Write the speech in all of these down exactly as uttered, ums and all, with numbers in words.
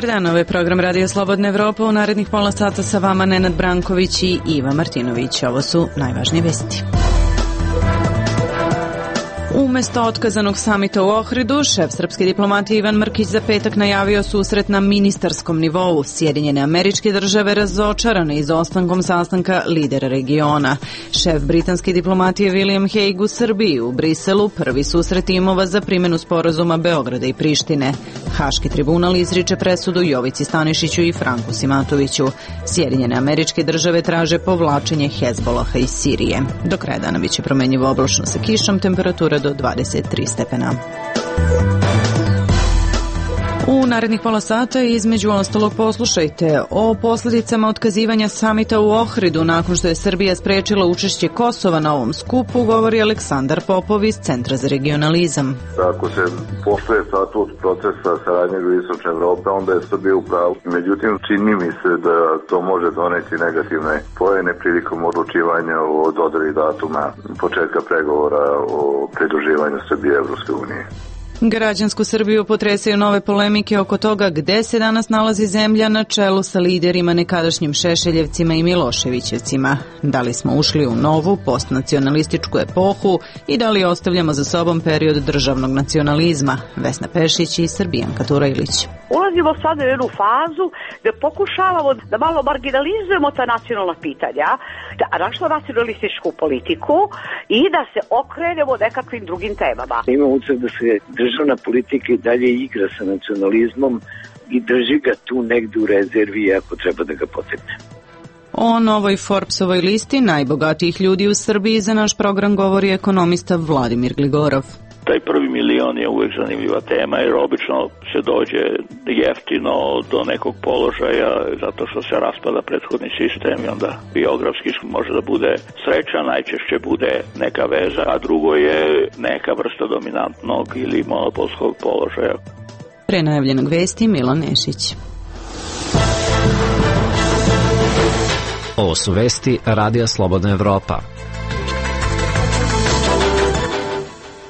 Dobar dan, ovo je program Radio Slobodna Evropa. U narednih pola sata sa vama Nenad Branković i Iva Martinović. Ovo su najvažnije vesti. Umesto otkazanog samita u Ohridu, šef srpske diplomatije Ivan Mrkić za petak najavio susret na ministarskom nivou. Sjedinjene Američke Države razočarane izostankom sastanka lidera regiona. Šef britanske diplomatije William Hague u Srbiji, u Briselu, prvi susret timova za primjenu sporazuma Beograda i Prištine. Haški tribunal izriče presudu Jovici Stanišiću i Franku Simatoviću. Sjedinjene Američke Države traže povlačenje Hezbolaha iz Sirije. Do kraja dana biće promenjivo oblačno sa kišom, temperatura do dvadeset tri stepena. U narednih pola sata između ostalog poslušajte o posljedicama otkazivanja samita u Ohridu nakon što je Srbija sprečila učešće Kosova na ovom skupu, govori Aleksandar Popov iz Centra za regionalizam. Ako se poštuje statut procesa saradnje Jugoistočne Evrope, onda je Srbija u pravu. Međutim, čini mi se da to može doneti negativne poene prilikom odlučivanja o dodeli datuma početka pregovora o pridruživanju Srbije Evropske unije. Građansku Srbiju potresaju nove polemike oko toga gde se danas nalazi zemlja na čelu sa liderima nekadašnjim Šešeljevcima i Miloševićevcima. Da li smo ušli u novu postnacionalističku epohu i da li ostavljamo za sobom period državnog nacionalizma? Vesna Pešić i Srbijanka Turajlić. Ulazimo sad u jednu fazu da pokušavamo da malo marginalizujemo ta nacionalna pitanja, da našla nacionalističku politiku i da se okrenemo nekakvim drugim temama. Ima utisak da se državna politika i dalje igra sa nacionalizmom i drži ga tu negde u rezervi ako treba da ga potegne. O novoj Forbesovoj listi najbogatijih ljudi u Srbiji za naš program govori ekonomista Vladimir Gligorov. Taj prvi milion je uvek zanimljiva tema jer obično se dođe jeftino do nekog položaja zato što se raspada prethodni sistem i onda biografski može da bude sreća, najčešće bude neka veza, a drugo je neka vrsta dominantnog ili monopolskog položaja. Pre najavljenog vesti Milan Nešić. Ovo su vesti Radija Slobodna Evropa.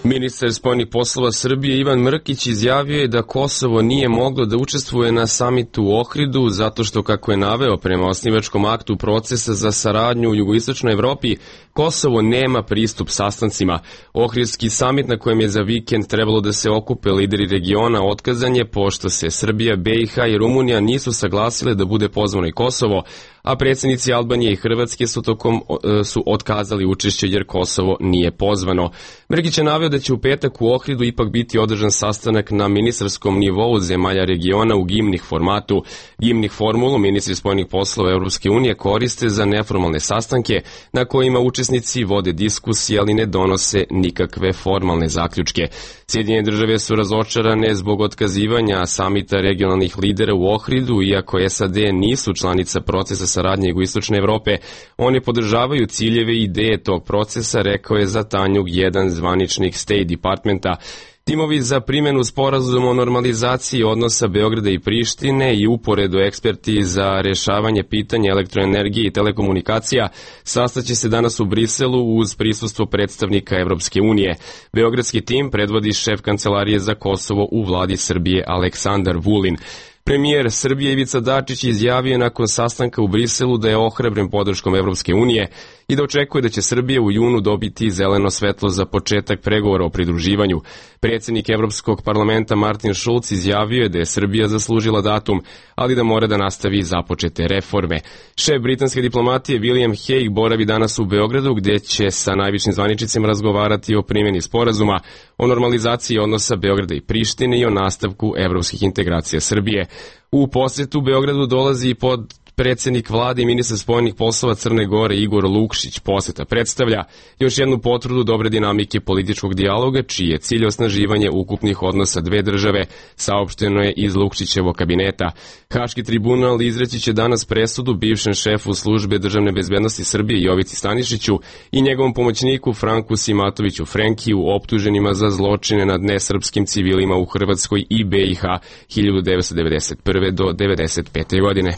Ministar spoljnih poslova Srbije Ivan Mrkić izjavio je da Kosovo nije moglo da učestvuje na samitu u Ohridu zato što, kako je naveo prema osnivačkom aktu procesa za saradnju u jugoistočnoj Evropi, Kosovo nema pristup sastancima. Ohridski samit na kojem je za vikend trebalo da se okupe lideri regiona otkazan je pošto se Srbija, B i H i Rumunija nisu saglasile da bude pozvano i Kosovo, a predsjednici Albanije i Hrvatske su tokom su otkazali učešće jer Kosovo nije pozvano. Mrkić je naveo da će u petak u Ohridu ipak biti održan sastanak na ministarskom nivou zemalja regiona u gimnih formatu. Gimnih formulu ministri spoljnih poslova Evropske unije koriste za neformalne sastanke na kojima učesnici vode diskusije, ali ne donose nikakve formalne zaključke. Sjedinjene države su razočarane zbog otkazivanja samita regionalnih lidera u Ohridu, iako S A D nisu članica procesa saradnje Jugoistočne Evrope. Oni podržavaju ciljeve i ideje tog procesa, rekao je za Tanjug jedan zvaničnik State Departmenta. Timovi za primjenu sporazuma o normalizaciji odnosa Beograda i Prištine i uporedo eksperti za rješavanje pitanja elektroenergije i telekomunikacija sastaće se danas u Briselu uz prisustvo predstavnika Evropske unije. Beogradski tim predvodi šef kancelarije za Kosovo u vladi Srbije Aleksandar Vulin. Premijer Srbije Ivica Dačić izjavio nakon sastanka u Briselu da je ohrabren podrškom Evropske unije i da očekuje da će Srbija u junu dobiti zeleno svetlo za početak pregovora o pridruživanju. Predsjednik Evropskog parlamenta Martin Schulz izjavio je da je Srbija zaslužila datum, ali da mora da nastavi započete reforme. Šef britanske diplomatije William Hague boravi danas u Beogradu gdje će sa najvišim zvaničnicima razgovarati o primjeni sporazuma, o normalizaciji odnosa Beograda i Prištine i o nastavku evropskih integracija Srbije. U posjetu Beogradu dolazi i pod predsjednik vlade i ministar spoljnih poslova Crne Gore Igor Lukšić. Posjeta predstavlja još jednu potvrdu dobre dinamike političkog dijaloga, čiji je cilj osnaživanje ukupnih odnosa dve države, saopšteno je iz Lukšićevog kabineta. Haški tribunal izreći će danas presudu bivšem šefu službe državne bezbednosti Srbije Jovici Stanišiću i njegovom pomoćniku Franku Simatoviću Frenkiju, optuženima za zločine nad nesrpskim civilima u Hrvatskoj i B i H hiljadu devetsto devedeset prve do devedeset pete godine.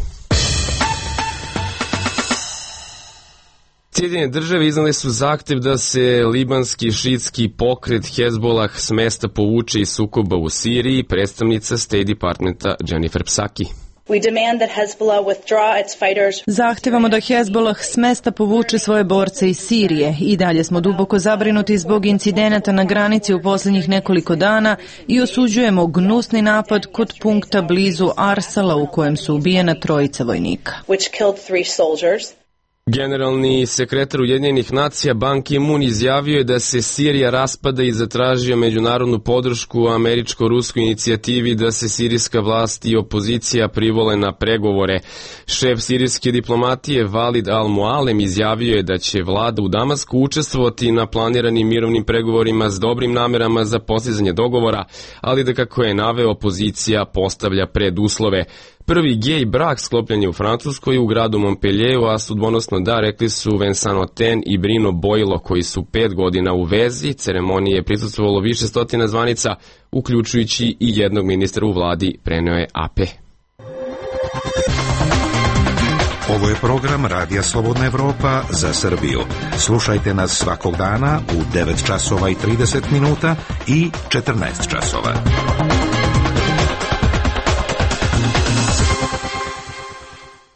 Sjedinjene države iznale su zahtev da se libanski šitski pokret Hezbolah s mesta povuče iz sukoba u Siriji, predstavnica State Departmenta Jennifer Psaki. Zahtevamo da Hezbolah s mesta povuče svoje borce iz Sirije. I dalje smo duboko zabrinuti zbog incidenata na granici u posljednjih nekoliko dana i osuđujemo gnusni napad kod punkta blizu Arsala u kojem su ubijena trojica vojnika. Generalni sekretar Ujedinjenih nacija Ban Ki-moon izjavio je da se Sirija raspada i zatražio međunarodnu podršku američko-ruskoj inicijativi da se sirijska vlast i opozicija privole na pregovore. Šef sirijske diplomatije Walid al-Mualem izjavio je da će vlada u Damasku učestvovati na planiranim mirovnim pregovorima s dobrim namerama za postizanje dogovora, ali da, kako je naveo, opozicija postavlja preduslove. Prvi gej brak sklopljen je u Francuskoj u gradu Montpellieru, a sudbonosno da, rekli su Vincent Oten i Brino Boilo, koji su pet godina u vezi. Ceremoniji je prisustvovalo više stotina zvanica, uključujući i jednog ministra u vladi, preneo je A P. Ovo je program Radija Slobodna Evropa za Srbiju. Slušajte nas svakog dana u devet časova i trideset minuta i četrnaest časova.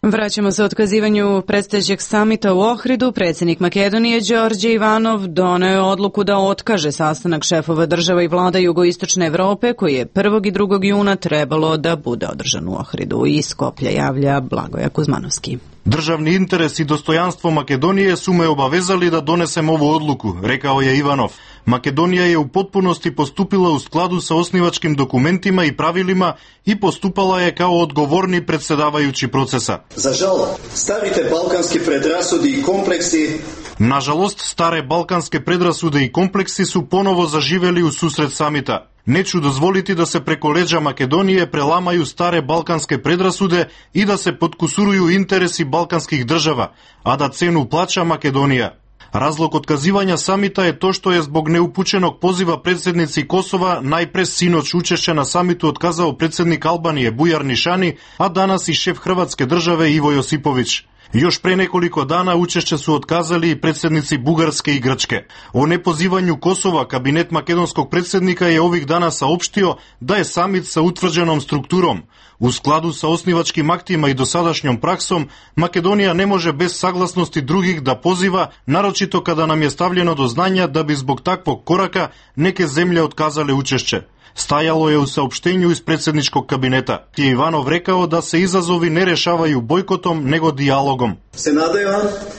Vraćamo se otkazivanju predstojećeg samita u Ohridu. Predsjednik Makedonije Đorđe Ivanov doneo je odluku da otkaže sastanak šefova država i vlada jugoistočne Evrope koji je prvog i drugog juna trebalo da bude održan u Ohridu. Iz Skoplja javlja Blagoja Kuzmanovski. Državni interes i dostojanstvo Makedonije su me obavezali da donesem ovu odluku, rekao je Ivanov. Makedonija je u potpunosti postupila u skladu sa osnivačkim dokumentima i pravilima i postupala je kao odgovorni predsjedavajući procesa. Za žal, starite balkanski predrasudi i kompleksi Nažalost, stare balkanske predrasude i kompleksi su ponovo zaživeli u susret samita. Neću dozvoliti da se preko leđa Makedonije prelamaju stare balkanske predrasude i da se potkusuruju interesi balkanskih država, a da cenu plaća Makedonija. Razlog otkazivanja samita je to što je zbog neupućenog poziva predsjednici Kosova najpre sinoć učešće na samitu otkazao predsjednik Albanije Bujar Nišani, a danas i šef Hrvatske države Ivo Josipović. Još pre nekoliko dana učešće su otkazali i predsjednici Bugarske i Grčke. O nepozivanju Kosova kabinet makedonskog predsjednika je ovih dana saopštio da je samit sa utvrđenom strukturom. U skladu sa osnivačkim aktima i dosadašnjom praksom, Makedonija ne može bez saglasnosti drugih da poziva, naročito kada nam je stavljeno do znanja da bi zbog takvog koraka neke zemlje otkazale učešće. Stajalo je u saopštenju iz predsjedničkog kabineta. Je Ivanov rekao da se izazovi ne rešavaju bojkotom, nego dijalogom. Se nadaju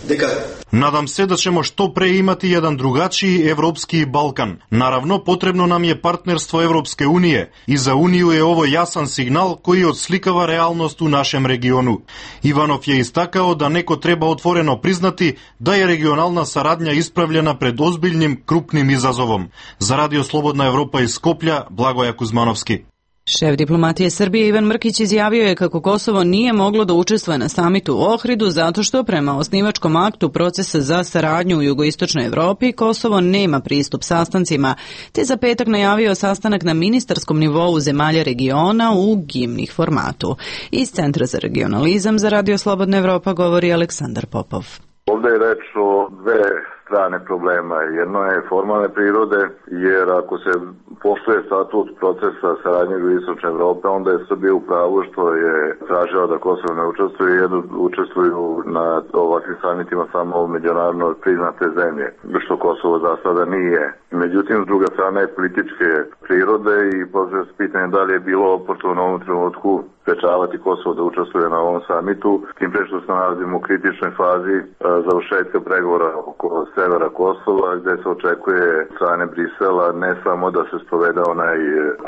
deka Nadam se da ćemo što pre imati jedan drugačiji evropski Balkan. Naravno, potrebno nam je partnerstvo Evropske unije i za Uniju je ovo jasan signal koji odslikava realnost u našem regionu. Ivanov je istakao da neko treba otvoreno priznati da je regionalna saradnja ispravljena pred ozbiljnim, krupnim izazovom. Za Radio Slobodna Evropa iz Skoplja, Blagoja Kuzmanovski. Šef diplomatije Srbije Ivan Mrkić izjavio je kako Kosovo nije moglo da učestvuje na samitu u Ohridu zato što prema osnivačkom aktu procesa za saradnju u jugoistočnoj Evropi Kosovo nema pristup sastancima, te za petak najavio sastanak na ministarskom nivou zemalja regiona u gimnih formatu. Iz Centra za regionalizam za Radio Slobodna Evropa govori Aleksandar Popov. Ovdje je reč o dve strane problema. Jedno je formalne prirode, jer ako se poštuje statut procesa saradnje jugoistočne Evrope, onda je Srbija u pravu što je tražila da Kosovo ne učestvuje, jer učestvuju na ovakvim samitima samo međunarodno priznate zemlje, što Kosovo za sada nije. Međutim, s druga strana je političke prirode i postavlja se pitanje da li je bilo oportuno u ovom trenutku sprečavati Kosovo da učestvuje na ovom samitu, tim pre što se nalazimo u kritičnoj fazi završetka pregovora oko severa Kosova, gde se očekuje strane Brisela ne samo da se sprovede onaj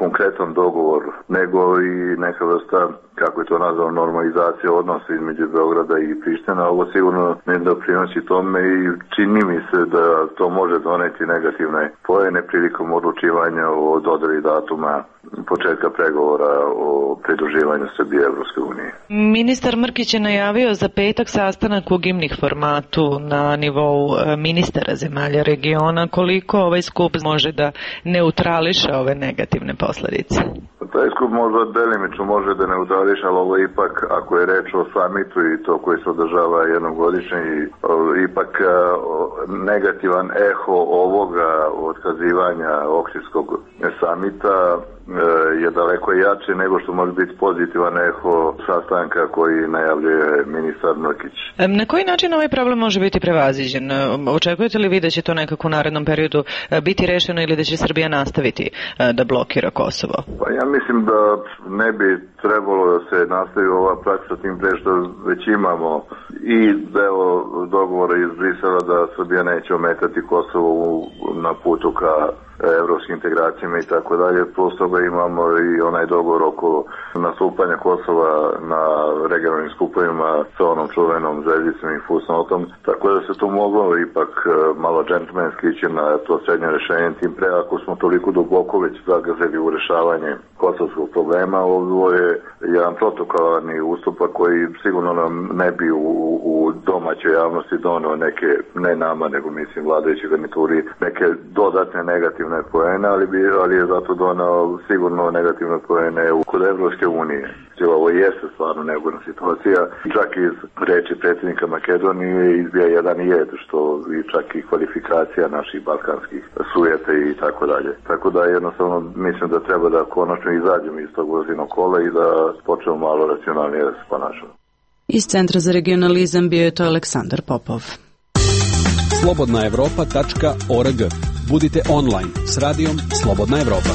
konkretan dogovor, nego i neka vrsta, kako je to nazvano, normalizacija odnosa između Beograda i Priština. Ovo sigurno ne doprinosi tome i čini mi se da to može doneti negativne pojene prilikom odlučivanja o dodeli datuma početka pregovora o pridruživanju Srbije i Evropske unije. Ministar Mrkić je najavio za petak sastanak u gimnih formatu na nivou ministara zemalja regiona. Koliko ovaj skup može da neutrališe ove negativne posledice? Taj skup možda delimično može da neutrališe, ali ovo ipak, ako je reč o samitu i to koji se održava jednogodišnje, ipak negativan eho ovoga otkazivanja Ohridskog samita je daleko jače nego što može biti pozitivan eho sastanka koji najavljuje ministar Mrkić. Na koji način ovaj problem može biti prevaziđen? Očekujete li vi da će to nekako u narednom periodu biti rešeno ili da će Srbija nastaviti da blokira Kosovo? Pa ja mislim da ne bi trebalo da se nastavi ova praksa, tim pre što već imamo i deo dogovora iz Brisela da Srbija neće ometati Kosovo na putu ka evropskim integracijama i tako dalje. Plus toga imamo i onaj dogovor oko nastupanja Kosova na regionalnim skupovima sa onom čuvenom zvezdicom i fusnotom. Tako da se to moglo ipak malo džentlmenski ići na to srednje rešenje, tim pre ako smo toliko duboko već zagazili u rešavanje kosovskog problema. Ovo je jedan protokolarni ustupak koji sigurno nam ne bi u, u domaćoj javnosti doneo neke, ne nama, nego mislim vladajući garnituri, neke dodatne negativne poene, ali, bi, ali je zato donao sigurno negativne poene kod Evropske unije. Ovo jeste stvarno neugodna situacija. Čak iz reči predsjednika Makedonije izbija jedan jed, što i čak i kvalifikacija naših balkanskih sujete i tako dalje. Tako da jednostavno mislim da treba da konačno izađemo iz tog vozinog kola i da počnemo malo racionalnije da se ponašamo. Iz Centra za regionalizam bio je to Aleksandar Popov. slobodna evropa tačka org. Budite online s radijom Slobodna Evropa.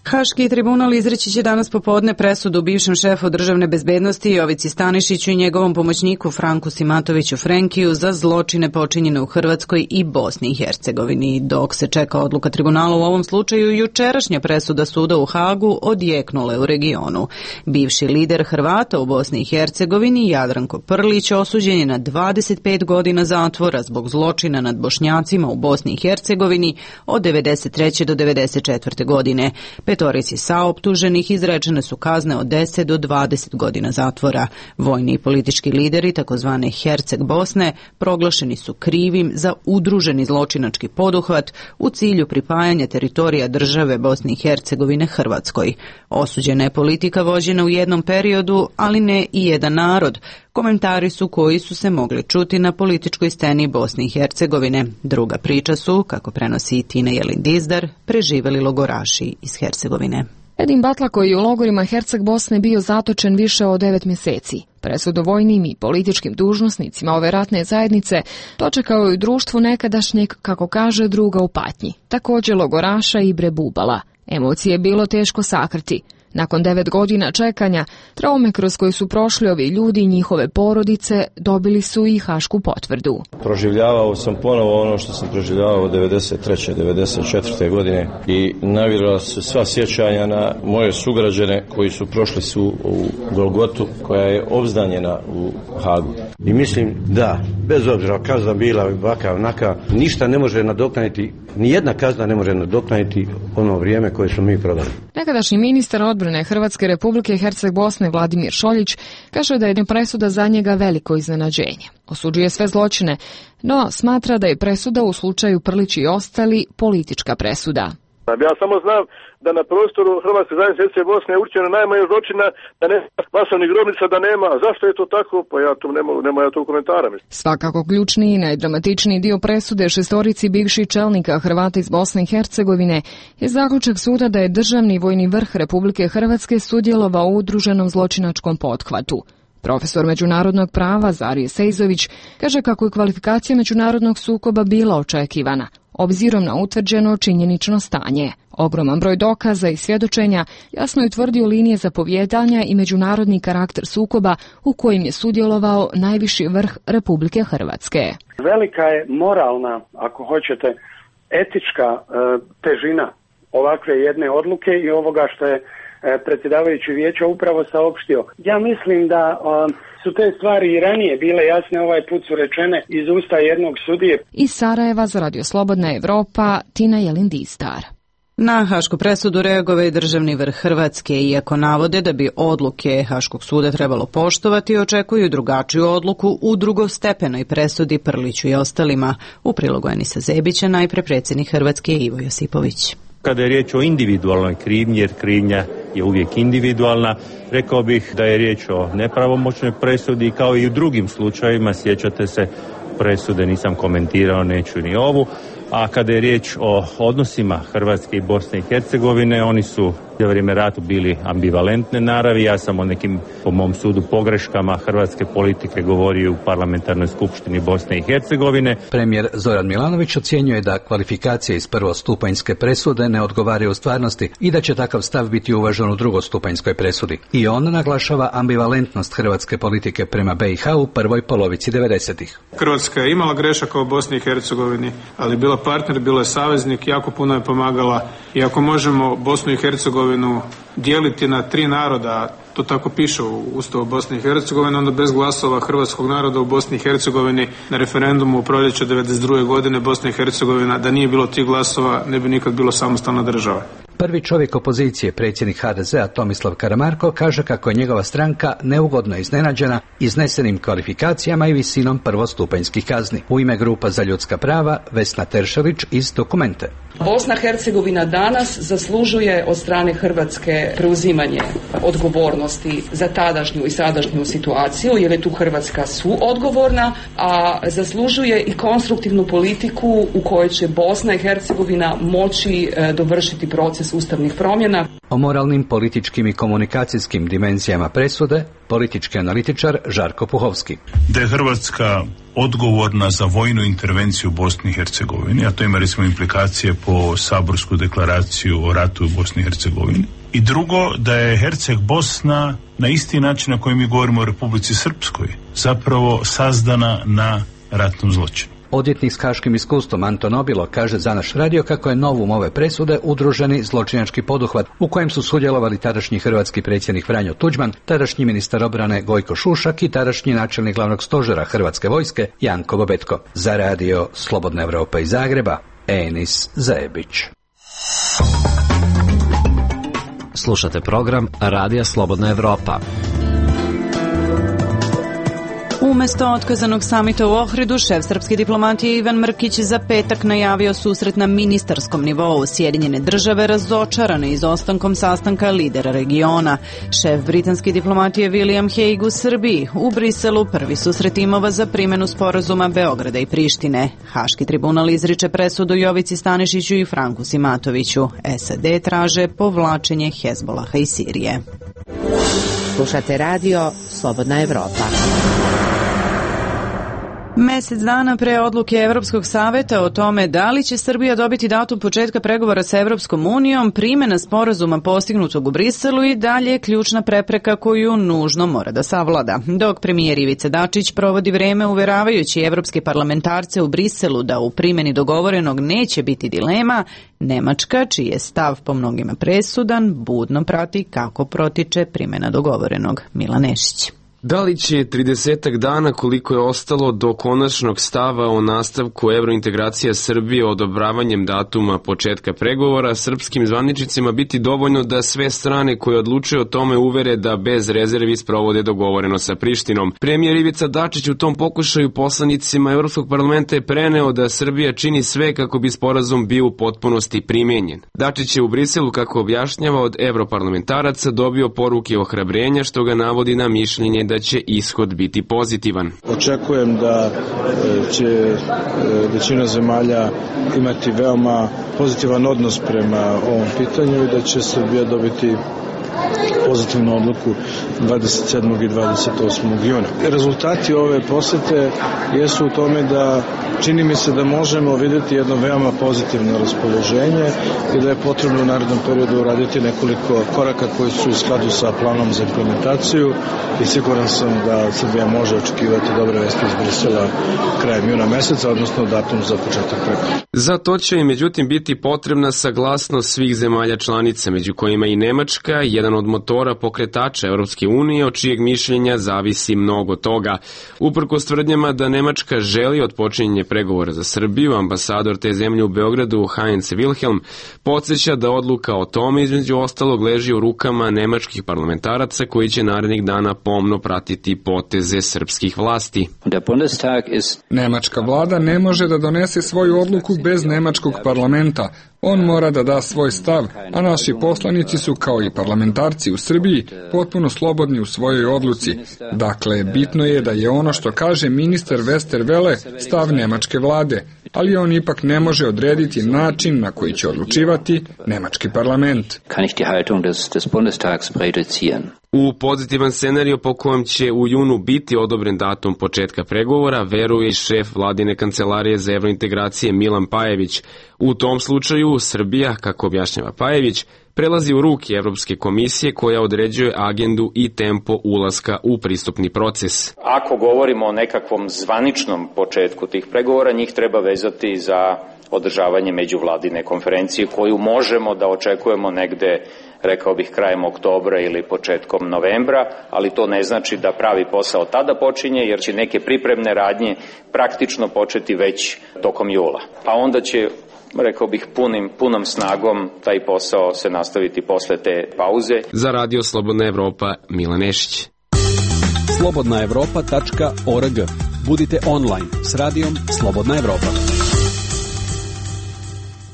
Haški tribunal izreći će danas popodne presudu bivšem šefu državne bezbednosti Jovici Stanišiću i njegovom pomoćniku Franku Simatoviću Frenkiju za zločine počinjene u Hrvatskoj i Bosni i Hercegovini. Dok se čeka odluka tribunala u ovom slučaju, jučerašnja presuda suda u Hagu odjeknula u regionu. Bivši lider Hrvata u Bosni i Hercegovini, Jadranko Prlić, osuđen je na dvadeset pet godina zatvora zbog zločina nad Bošnjacima u Bosni i Hercegovini od devedeset treće do devedeset četvrte godine. Petorici saoptuženih izrečene su kazne od deset do dvadeset godina zatvora. Vojni i politički lideri takozvane Herceg Bosne proglašeni su krivim za udruženi zločinački poduhvat u cilju pripajanja teritorija države Bosne i Hercegovine Hrvatskoj. Osuđena je politika vođena u jednom periodu, ali ne i jedan narod. Komentari su koji su se mogli čuti na političkoj sceni Bosne i Hercegovine. Druga priča su, kako prenosi Tina Jelin Dizdar, preživeli logoraši iz Hercegovine. Edin Batla, koji je u logorima Herceg Bosne bio zatočen više od devet mjeseci. Presudu vojnim i političkim dužnosnicima ove ratne zajednice dočekao je u društvu nekadašnjeg, kako kaže, druga u patnji. Također logoraša Ibre Bubala. Emocije je bilo teško sakriti. Nakon devet godina čekanja, traume kroz koje su prošli ovi ljudi i njihove porodice dobili su i hašku potvrdu. Proživljavao sam ponovo ono što sam proživljavao devedeset treće devedeset četvrte godine i navirala su sva sjećanja na moje sugrađane koji su prošli su u Golgotu, koja je obznanjena u Hagu. I mislim da, bez obzira kazna bila ovakav onaka, ništa ne može nadoknaditi, ni jedna kazna ne može nadoknaditi ono vrijeme koje smo mi prodali. Nekadašnji ministar odbrane Hrvatske Republike Herceg Bosne Vladimir Šoljić kaže da je presuda za njega veliko iznenađenje. Osuđuje sve zločine, no smatra da je presuda u slučaju Prlić i ostali politička presuda. Ja samo znam da na prostoru Hrvatske zajednice Herceg Bosne je učinjeno najmanje zločina, da nema masovnih grobnica, da nema. Zašto je to tako? Pa ja tu nema, nema ja tu komentara. Svakako ključni i najdramatičniji dio presude šestorici bivših čelnika Hrvata iz Bosne i Hercegovine je zaključak suda da je državni vojni vrh Republike Hrvatske sudjelovao u udruženom zločinačkom pothvatu. Profesor međunarodnog prava Zarije Sejzović kaže kako je kvalifikacija međunarodnog sukoba bila očekivana, obzirom na utvrđeno činjenično stanje. Ogroman broj dokaza i svjedočenja jasno je utvrdio linije zapovjedanja i međunarodni karakter sukoba u kojim je sudjelovao najviši vrh Republike Hrvatske. Velika je moralna, ako hoćete, etička e, težina ovakve jedne odluke i ovoga što je predsjedavajući vijeća upravo saopštio. Ja mislim da um, su te stvari i ranije bile jasne, ovaj put su rečene iz usta jednog sudije. Iz Sarajeva za Radio Slobodna Evropa, Tina Jelin Dizdar. Na hašku presudu reagovao je državni vrh Hrvatske, iako navode da bi odluke Haškog suda trebalo poštovati, očekuju drugačiju odluku u drugostepenoj presudi Prliću i ostalima. U prilogu Enisa Zebića najpre predsjednik Hrvatske Ivo Josipović. Kada je riječ o individualnoj krivnji, jer krivnja je uvijek individualna, rekao bih da je riječ o nepravomoćnoj presudi, kao i u drugim slučajevima, sjećate se presude, nisam komentirao, neću ni ovu. A kada je riječ o odnosima Hrvatske i Bosne i Hercegovine, oni su za vrijeme rata bili ambivalentne naravi. Ja sam o nekim, po mom sudu, pogreškama hrvatske politike govorio u parlamentarnoj skupštini Bosne i Hercegovine. Premijer Zoran Milanović ocjenjuje da kvalifikacije iz prvostupanjske presude ne odgovaraju u stvarnosti i da će takav stav biti uvažen u drugostupanjskoj presudi. I on naglašava ambivalentnost hrvatske politike prema B i H u prvoj polovici devedesetih. Hrvatska je imala grešaka u Bosni i Hercegovini, ali bila partner, bila je saveznik, jako puno je pomagala. I ako možemo Bosnu i Hercegovinu dijeliti na tri naroda, to tako piše u Ustavu Bosne i Hercegovine, onda bez glasova hrvatskog naroda u Bosni i Hercegovini na referendumu u proljeće devedeset druge godine Bosna i Hercegovina, da nije bilo tih glasova, ne bi nikad bilo samostalna država. Prvi čovjek opozicije, predsjednik H D Z-a Tomislav Karamarko, kaže kako je njegova stranka neugodno iznenađena iznesenim kvalifikacijama i visinom prvostupanjskih kazni. U ime Grupa za ljudska prava Vesna Teršelić iz Dokumente. Bosna i Hercegovina danas zaslužuje od strane Hrvatske preuzimanje odgovornosti za tadašnju i sadašnju situaciju, jer je tu Hrvatska suodgovorna, a zaslužuje i konstruktivnu politiku u kojoj će Bosna i Hercegovina moći dovršiti proces ustavnih promjena. O moralnim, političkim i komunikacijskim dimenzijama presude politički analitičar Žarko Puhovski. Da je Hrvatska odgovorna za vojnu intervenciju u Bosni i Hercegovini, a to ima recimo implikacije po saborsku deklaraciju o ratu u Bosni i Hercegovini. I drugo, da je Herceg Bosna na isti način na koji mi govorimo o Republici Srpskoj zapravo sazdana na ratnom zločinu. Odvjetnik s haškim iskustvom Anton Obilo kaže za naš radio kako je novum ove presude udruženi zločinački poduhvat u kojem su sudjelovali tadašnji hrvatski predsjednik Franjo Tuđman, tadašnji ministar obrane Gojko Šušak i tadašnji načelnik glavnog stožera Hrvatske vojske Janko Bobetko. Za radio Slobodna Evropa iz Zagreba, Enis Zajebić. Slušate program Radija Slobodna Evropa. Umesto otkazanog samita u Ohridu, šef srpske diplomatije Ivan Mrkić za petak najavio susret na ministarskom nivou. Sjedinjene države razočarane izostankom sastanka lidera regiona. Šef britanske diplomatije William Hague u Srbiji. U Briselu prvi susret timova za primjenu sporazuma Beograda i Prištine. Haški tribunal izriče presudu Jovici Stanišiću i Franku Simatoviću. S A D traže povlačenje Hezbolaha iz Sirije. Slušate radio Slobodna Evropa. Mesec dana pre odluke Evropskog saveta o tome da li će Srbija dobiti datum početka pregovora sa Evropskom unijom, primjena sporazuma postignutog u Briselu i dalje je ključna prepreka koju nužno mora da savlada. Dok premijer Ivica Dačić provodi vreme uveravajući evropske parlamentarce u Briselu da u primjeni dogovorenog neće biti dilema, Nemačka, čiji je stav po mnogima presudan, budno prati kako protiče primjena dogovorenog. Milan Nešić. Da li će tridesetak dana koliko je ostalo do konačnog stava o nastavku evrointegracija Srbije odobravanjem datuma početka pregovora srpskim zvaničnicima biti dovoljno da sve strane koje odlučuju o tome uvere da bez rezervi sprovode dogovoreno sa Prištinom? Premijer Ivica Dačić u tom pokušaju poslanicima Evropskog parlamenta je preneo da Srbija čini sve kako bi sporazum bio u potpunosti primenjen. Dačić je u Briselu, kako objašnjava, od evroparlamentaraca dobio poruke ohrabrenja, što ga navodi na mišljenje da će ishod biti pozitivan. Očekujem da će većina zemalja imati veoma pozitivan odnos prema ovom pitanju i da će Srbija dobiti pozitivnu odluku dvadeset sedmog i dvadeset osmog juna. Rezultati ove posete jesu u tome da čini mi se da možemo vidjeti jedno veoma pozitivno raspoloženje i da je potrebno u narednom periodu uraditi nekoliko koraka koji su u skladu sa planom za implementaciju i siguran sam da Srbija može očekivati dobre vesti iz Brisela krajem juna meseca, odnosno datum za početak pregovora. Za to će i međutim biti potrebna saglasnost svih zemalja članica, među kojima i Nemačka, jedan od motora pokretača Evropske unije, od čijeg mišljenja zavisi mnogo toga. Uprkos tvrdnjama da Nemačka želi otpočinjenje pregovora za Srbiju, ambasador te zemlje u Beogradu Heinz Wilhelm podsjeća da odluka o tome između ostalog leži u rukama nemačkih parlamentaraca koji će narednih dana pomno pratiti poteze srpskih vlasti. Nemačka vlada ne može da donese svoju odluku bez nemačkog parlamenta. On mora da da svoj stav, a naši poslanici su kao i parlamentarci u Srbiji potpuno slobodni u svojoj odluci. Dakle, bitno je da je ono što kaže ministar Westerwelle stav nemačke vlade, ali on ipak ne može odrediti način na koji će odlučivati nemački parlament. U pozitivan scenariju po kojem će u junu biti odobren datum početka pregovora, veruje i šef vladine kancelarije za evrointegracije Milan Pajević. U tom slučaju Srbija, kako objašnjava Pajević, prelazi u ruke Evropske komisije koja određuje agendu i tempo ulaska u pristupni proces. Ako govorimo o nekakvom zvaničnom početku tih pregovora, njih treba vezati za održavanje međuvladine konferencije koju možemo da očekujemo negde, rekao bih, krajem oktobra ili početkom novembra, ali to ne znači da pravi posao tada počinje, jer će neke pripremne radnje praktično početi već tokom jula. A onda će, rekao bih, punim, punom snagom taj posao se nastaviti posle te pauze. Za Radio Slobodna Evropa, Milan Nešić. slobodna evropa tačka org. Budite online s radijom Slobodna Evropa.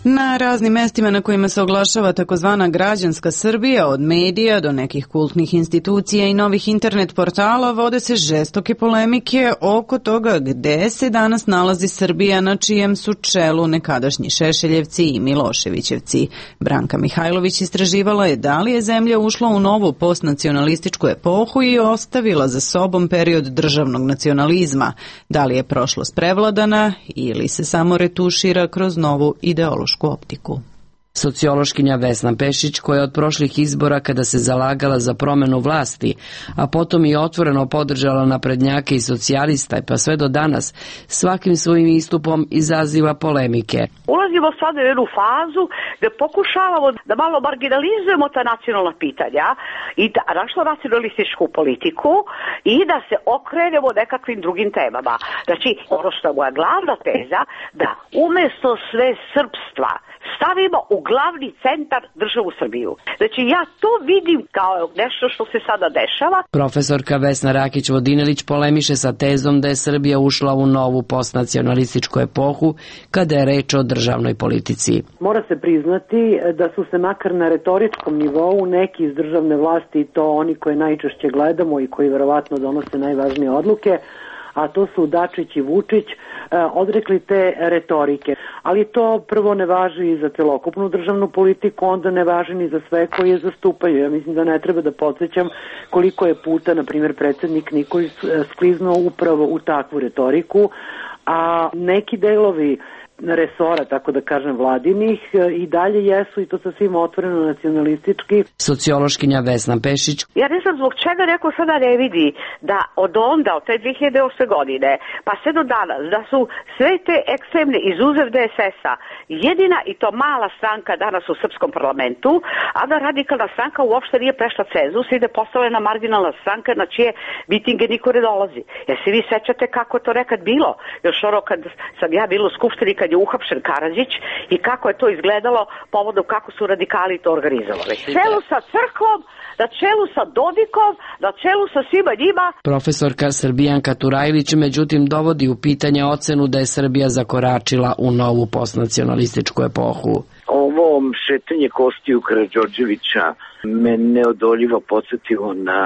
Na raznim mestima na kojima se oglašava takozvana građanska Srbija, od medija do nekih kultnih institucija i novih internet portala, vode se žestoke polemike oko toga gde se danas nalazi Srbija, na čijem su čelu nekadašnji Šešeljevci i Miloševićevci. Branka Mihajlović istraživala je da li je zemlja ušla u novu postnacionalističku epohu i ostavila za sobom period državnog nacionalizma, da li je prošlost prevladana ili se samo retušira kroz novu ideološku optiku. Sociološkinja Vesna Pešić, koja je od prošlih izbora, kada se zalagala za promenu vlasti, a potom i otvoreno podržala naprednjake i socijalista, pa sve do danas, svakim svojim istupom izaziva polemike. Ulazimo sad u jednu fazu gde pokušavamo da malo marginalizujemo ta nacionalna pitanja i da našlo nacionalističku politiku i da se okrenemo nekakvim drugim temama. Znači, ono što je moja glavna teza, da umesto sve srpstva stavimo u glavni centar državu Srbiju. Znači, ja to vidim kao nešto što se sada dešava. Profesorka Vesna Rakić-Vodinelić polemiše sa tezom da je Srbija ušla u novu postnacionalističku epohu kada je reč o državnoj politici. Mora se priznati da su se makar na retoričkom nivou neki iz državne vlasti, to oni koje najčešće gledamo i koji verovatno donose najvažnije odluke, a to su Dačić i Vučić, odrekli te retorike. Ali to prvo ne važi i za celokupnu državnu politiku, onda ne važi ni za sve koji je zastupaju. Ja mislim da ne treba da podsjećam koliko je puta, na primjer, predsjednik Nikolić skliznuo upravo u takvu retoriku, a neki delovi resora, tako da kažem, vladinih i dalje jesu, i to sasvim otvoreno nacionalistički. Sociološkinja Vesna Pešić. Ja ne znam zbog čega neko sada ne vidi da od onda, od te dve hiljade osme godine, pa sve do danas, da su sve te ekstremne izuzev D S S-a jedina i to mala stranka danas u srpskom parlamentu, a da radikalna stranka uopšte nije prešla cenzus i da je postavljena marginalna stranka na čije mitinge niko ne dolazi. Jer se vi sećate kako je to nekad bilo? Još ono kad sam ja bila u skupštini, kad je uhapšen Karadžić i kako je to izgledalo povodom kako su radikali to organizovali. Na čelu sa crkvom, na čelu sa Dodikom, na čelu sa svima njima. Profesorka Srbijanka Turajlić međutim dovodi u pitanje ocenu da je Srbija zakoračila u novu postnacionalističku epohu. Ovo šetanje kostiju Karađorđevića me neodoljivo podsjetilo na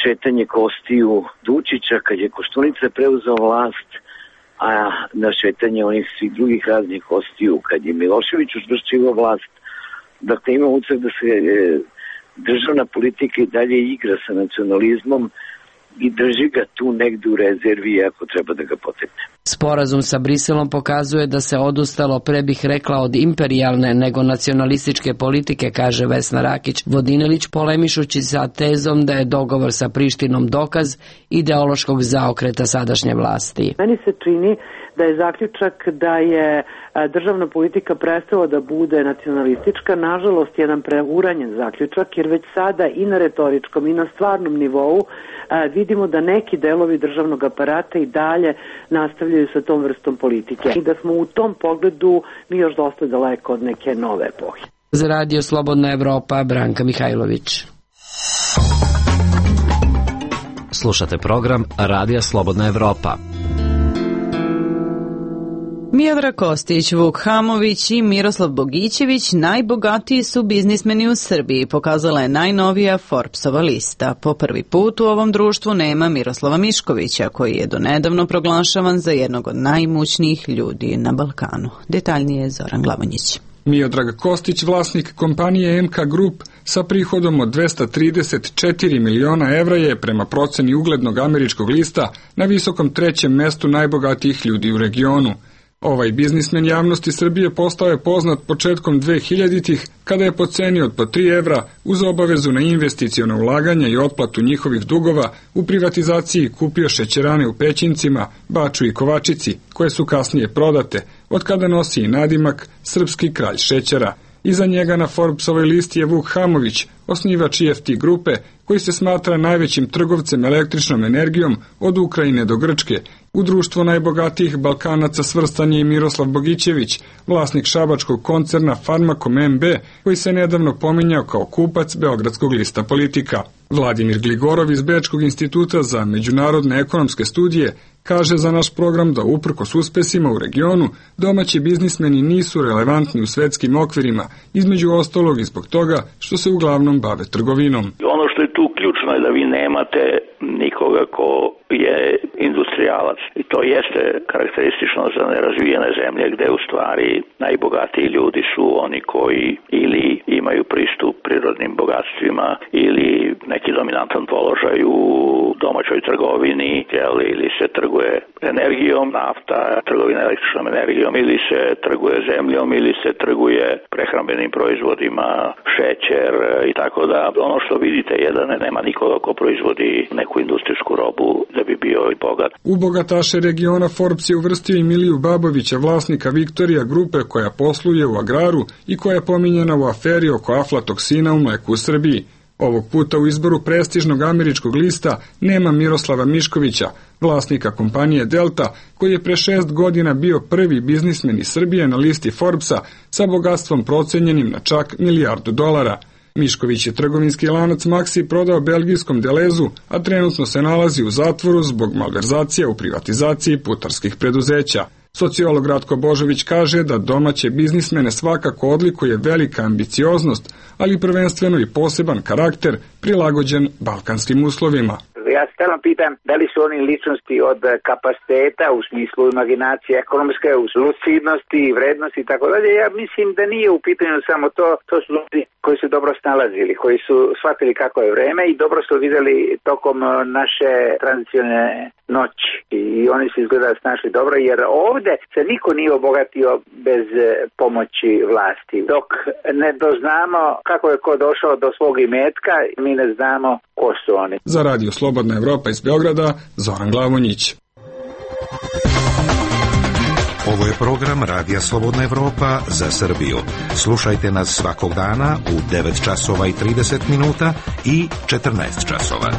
šetanje kostiju Dučića kad je Koštunica preuzeo vlast, a na šetanje onih svih drugih raznih kostiju kad je Milošević učvršćivao vlast. Dakle, ima utisak da se e, državna politika i dalje igra sa nacionalizmom i drži ga tu negde u rezervi ako treba da ga potekne. Sporazum sa Briselom pokazuje da se odustalo, pre bih rekla, od imperijalne nego nacionalističke politike, kaže Vesna Rakić-Vodinelić, polemišući sa tezom da je dogovor sa Prištinom dokaz ideološkog zaokreta sadašnje vlasti. Meni se čini da je zaključak da je državna politika prestala da bude nacionalistička, nažalost jedan preuranjen zaključak, jer već sada i na retoričkom i na stvarnom nivou vidimo da neki delovi državnog aparata i dalje nastavljaju sa tom vrstom politike i da smo u tom pogledu mi još dosta daleko od neke nove epohe. Za Radio Slobodna Evropa, Branka Mihajlović. Slušate program Radija Slobodna Evropa. Miodrag Kostić, Vuk Hamović i Miroslav Bogićević najbogatiji su biznismeni u Srbiji, pokazala je najnovija Forbesova lista. Po prvi put u ovom društvu nema Miroslava Miškovića, koji je donedavno proglašavan za jednog od najimućnijih ljudi na Balkanu. Detaljnije Zoran Glavonjić. Miodrag Kostić, vlasnik kompanije M K Group sa prihodom od dvesta trideset četiri miliona evra, je prema proceni uglednog američkog lista na visokom trećem mestu najbogatijih ljudi u regionu. Ovaj biznismen javnosti Srbije postao je poznat početkom dvehiljaditih kada je po ceni od po tri evra uz obavezu na investiciona ulaganja i otplatu njihovih dugova u privatizaciji kupio šećerane u Pećincima, Baču i Kovačici, koje su kasnije prodate, od kada nosi i nadimak Srpski kralj šećera. Iza njega na Forbesovoj listi je Vuk Hamović, osnivač I F T grupe, koji se smatra najvećim trgovcem električnom energijom od Ukrajine do Grčke. U društvo najbogatijih Balkanaca svrstan je i Miroslav Bogićević, vlasnik šabačkog koncerna Farmakom M B, koji se nedavno pominjao kao kupac Beogradskog lista Politika. Vladimir Gligorov iz Bečkog instituta za međunarodne ekonomske studije kaže za naš program da uprkos uspesima u regionu domaći biznismeni nisu relevantni u svetskim okvirima, između ostalog i zbog toga što se uglavnom bave trgovinom. Ono što je tu ključno je da vi nemate nikoga ko je industrijalac i to jeste karakteristično za nerazvijene zemlje gde u stvari najbogatiji ljudi su oni koji ili imaju pristup prirodnim bogatstvima ili neki dominantan položaj u domaćoj trgovini, ili se trguje energijom, nafta, trgovina električnom energijom, ili se trguje zemljom, ili se trguje prehrambenim proizvodima, šećer i tako da. Ono što vidite je da nema nikoga ko proizvodi neku industrijsku robu da bi bio i bogat. U bogataše regiona Forbes je uvrstio i Miliju Babovića, vlasnika Viktorija grupe koja posluje u agraru i koja je pominjena u aferi oko aflatoksina u mleku u Srbiji. Ovog puta u izboru prestižnog američkog lista nema Miroslava Miškovića, vlasnika kompanije Delta, koji je pre šest godina bio prvi biznismen iz Srbije na listi Forbesa sa bogatstvom procenjenim na čak milijardu dolara. Mišković je trgovinski lanac Maxi prodao belgijskom Delezu, a trenutno se nalazi u zatvoru zbog malverzacija u privatizaciji putarskih preduzeća. Sociolog Ratko Božović kaže da domaće biznismene svakako odlikuje velika ambicioznost, ali prvenstveno i poseban karakter prilagođen balkanskim uslovima. Ja se stalno pitam da li su oni ličnosti od kapaciteta u smislu imaginacije ekonomske, u lucidnosti, vrednosti i tako dalje. Ja mislim da nije u pitanju samo to, to su ljudi koji su dobro snalazili, koji su shvatili kako je vreme i dobro su vidjeli tokom naše tranzicijone noći. I oni su izgleda snašli dobro, jer ovde se niko nije obogatio bez pomoći vlasti. Dok ne doznamo kako je ko došao do svog imetka, mi ne znamo ko su oni. Za Radio Slobodna Evropa iz Beograda, Zoran Glavonjić. Ovo je program Radija Slobodna Evropa za Srbiju. Slušajte nas svakog dana u devet časova i trideset minuta i četrnaest časova.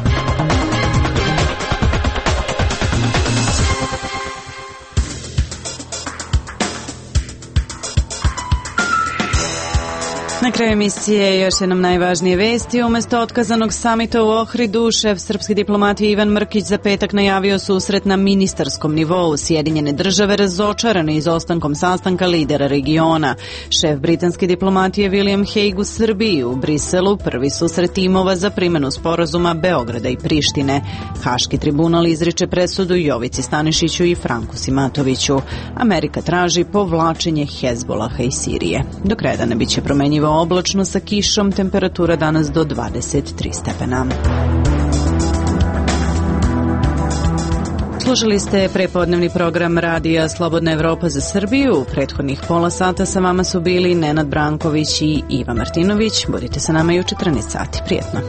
Na kraju emisije još jednom najvažnije vesti. Umesto otkazanog samita u Ohridu, šef srpske diplomatije Ivan Mrkić za petak najavio susret na ministarskom nivou. Sjedinjene države razočarane izostankom sastanka lidera regiona. Šef britanske diplomatije William Hague u Srbiji, u Briselu prvi susret timova za primjenu sporazuma Beograda i Prištine. Haški tribunal izriče presudu Jovici Stanišiću i Franku Simatoviću. Amerika traži povlačenje Hezbolaha iz Sirije. Do kraja dana biće promenjivo oblačno sa kišom, temperatura danas do dvadeset tri stepena. Slušali ste prepodnevni program Radija Slobodna Evropa za Srbiju. U prethodnih pola sata sa vama su bili Nenad Branković i Iva Martinović. Budite sa nama i u četrnaest sati. Prijetno.